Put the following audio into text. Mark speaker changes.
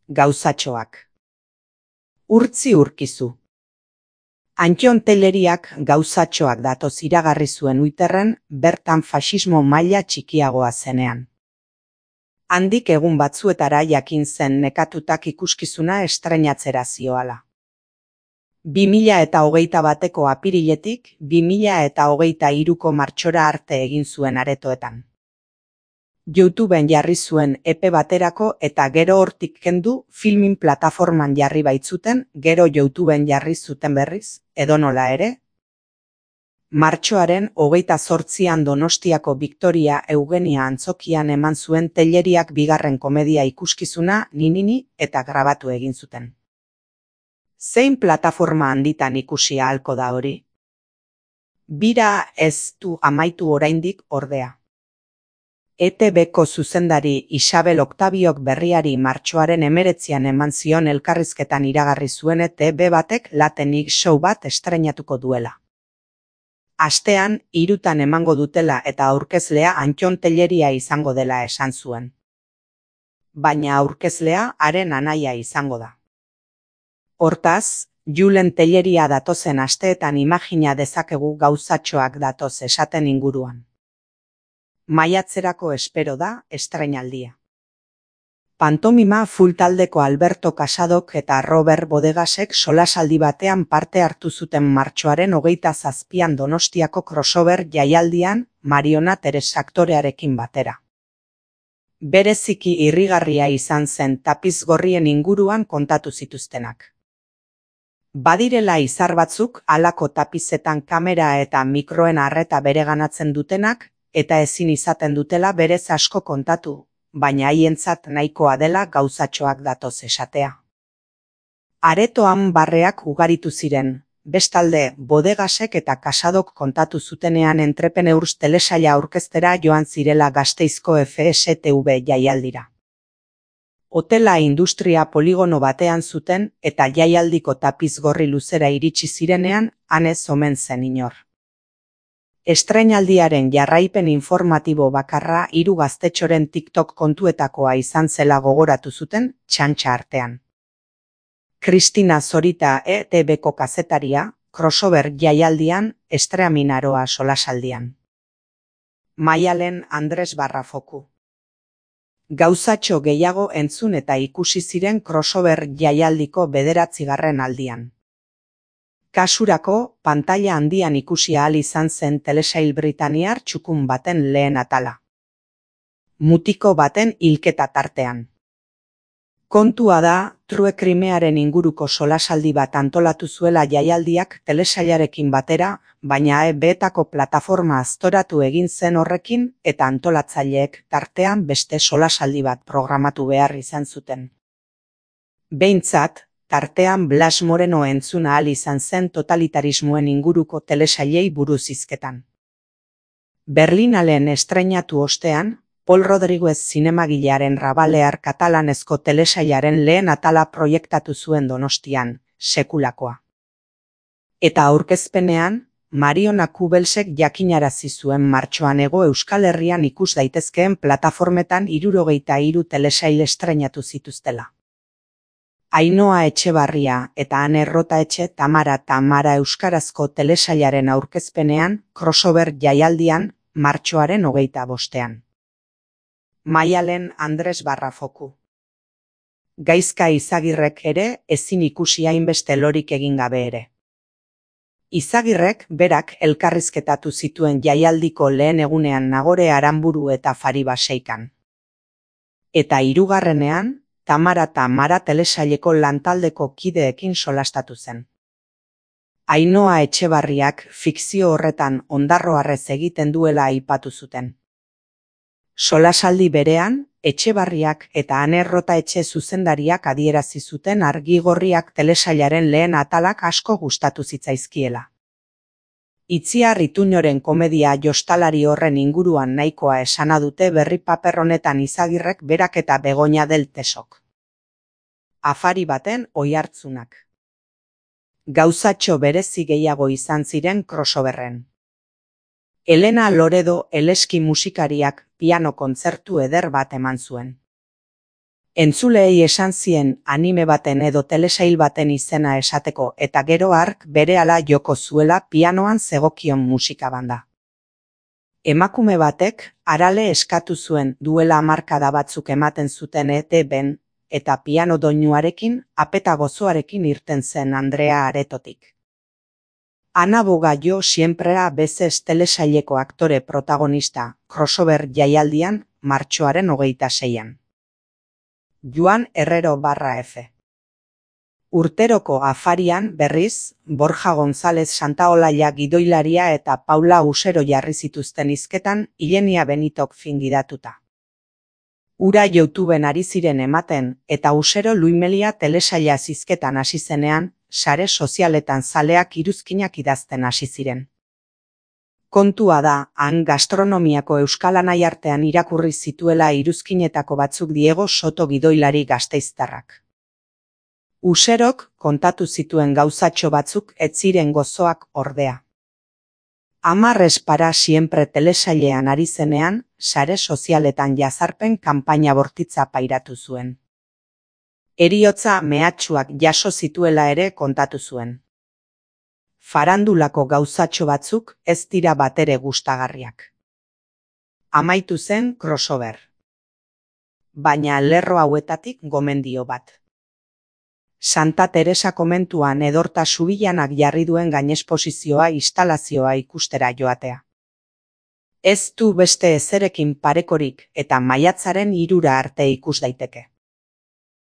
Speaker 1: Gauzatxoak. Urtzi urkizu. Antton Telleriak gauzatxoak datoz iragarri zuen Twitterren bertan faxismo maila txikiagoa zenean. Handik egun batzuetara jakin zen nekatutak ikuskizuna estreinatzera zioala. 2021ko apiriletik 2023ko martxora arte egin zuen aretoetan. YouTubeen jarri zuen epe baterako eta gero hortik kendu filmin plataforman jarri baitzuten, gero YouTubeen jarri zuten berriz, edonola ere. Martxoaren 28an Donostiako Victoria Eugenia antzokian eman zuen Telleriak bigarren komedia ikuskizuna Ninini eta grabatu egin zuten. Zein plataforma handitan ikusi ahalko da hori? Bira ez du amaitu oraindik ordea. ETBko zuzendari Isabel Octaviok berriari martxoaren 19an eman zion elkarrizketan iragarri zuen ETB batek Latenik show bat estreinatuko duela. Astean, 3 emango dutela eta aurkezlea Antton Telleria izango dela esan zuen. Baina aurkezlea haren anaia izango da. Hortaz, Julen Telleria datozen asteetan imagina dezakegu gauzatxoak datoz esaten inguruan. Maiatzerako espero da estreinaldia. Pantomima full taldeko Alberto Casadok eta Robert Bodegasek solasaldi batean parte hartu zuten martxoaren 27an Donostiako crossover jaialdian Mariona Teres aktorearekin batera. Bereziki irrigarria izan zen tapiz gorrien inguruan kontatu zituztenak. Badirela izar batzuk halako tapizetan kamera eta mikroen arreta bereganatzen dutenak, eta ezin izaten dutela berez asko kontatu, baina haientzat nahikoa dela gauzatxoak datoz esatea. Aretoan barreak ugaritu ziren, bestalde Bodegasek eta Casadok kontatu zutenean Entrepreneurs telesaila aurkeztera joan zirela Gasteizko FSTV jaialdira. Hotela industria poligono batean zuten eta jaialdiko tapiz gorri luzera iritsi zirenean han ez omen zen inor. Estreinaldiaren jarraipen informatibo bakarra 3 gaztetxoren TikTok kontuetakoa izan zela gogoratu zuten txantxa artean. Kristina Zorita ETBko kazetaria, crossover jaialdian, estreaminaroa solasaldian. Maialen Andres Barrafoku. Gauzatxo gehiago entzun eta ikusi ziren crossover jaialdiko 9. aldian. Kasurako, pantaila handian ikusi ahal izan zen telesail britaniar txukun baten lehen atala. Mutiko baten hilketa tartean. Kontua da, True Crimearen inguruko solasaldi bat antolatu zuela jaialdiak telesailarekin batera, baina ETBko plataforma aztoratu egin zen horrekin eta antolatzaileek tartean beste solasaldi bat programatu behar izan zuten. Behintzat, tartean Blas Moreno entzun ahal izan zen totalitarismoen inguruko telesailei buruz hizketan. Berlinalen estreinatu ostean, Pol Rodriguez zinemagilearen Rabalear katalanezko telesailaren lehen atala proiektatu zuen Donostian, sekulakoa. Eta aurkezpenean, Mariona Kubelsek jakinarazi zuen martxoan Hego Euskal Herrian ikus daitezkeen plataformetan 73 telesail estreinatu zituztela. Ainhoa Etxebarria eta Ane Errotaetxe Tamara euskarazko telesailaren aurkezpenean, crossover jaialdian, martxoaren 25ean. Maialen Andres Barrafoku. Gaizka Izagirrek ere ezin ikusi hainbeste lorik egin gabe ere. Izagirrek berak elkarrizketatu zituen jaialdiko lehen egunean Nagore Aranburu eta Fari Baseikan. Eta 3. Tamara telesaileko lantaldeko kideekin solastatu zen. Ainhoa Etxebarriak fikzio horretan ondarroarrez egiten duela aipatu zuten. Solasaldi berean, Etxebarriak eta Ane Errotaetxe zuzendariak adierazi zuten Argigorriak telesailaren lehen atalak asko gustatu zitzaizkiela. Itziar Ituñoren komedia jostalari horren inguruan nahikoa esana dute berri paper honetan Izagirrek berak eta Begoña del Tesok. Afari baten oihartzunak. Gauzatxo berezi gehiago izan ziren crossoverren. Elena Loredo Eleski musikariak piano kontzertu eder bat eman zuen. Entzuleei esan zien anime baten edo telesail baten izena esateko eta gero hark berehala joko zuela pianoan zegokion musika banda. Emakume batek Arale eskatu zuen duela hamarkada batzuk ematen zuten ETB-n eta piano doinuarekin apeta gozoarekin irten zen Andrea aretotik. Ana Bogallo siemprea bezez telesaileko aktore protagonista crossover jaialdian martxoaren 26an. Joan Herrero/F. Urteroko afarian berriz, Borja González Santaolalla gidoilaria eta Paula Usero jarri zituzten hizketan Ilenia Benitok fingidatuta. Ura YouTubeen ari ziren ematen eta Usero Luimelia telesaila hizketan hasi zenean, sare sozialetan zaleak iruzkinak idazten hasi ziren. Kontua da, han gastronomiako euskal anaiartean irakurri zituela iruzkinetako batzuk Diego Soto gidoilari gasteiztarrak. Userok kontatu zituen gauzatxo batzuk ez ziren gozoak ordea. 10 para siempre telesailean ari zenean, sare sozialetan jazarpen kanpaina bortitza pairatu zuen. Heriotza mehatxuak jaso zituela ere kontatu zuen. Farandulako gauzatxo batzuk ez dira batere gustagarriak. Amaitu zen crossover. Baina lerro hauetatik gomendio bat. Santa Teresa komentuan Edorta Subillanak jarri duen gainesposizioa instalazioa ikustera joatea. Ez du beste ezerekin parekorik eta maiatzaren 3 arte ikus daiteke.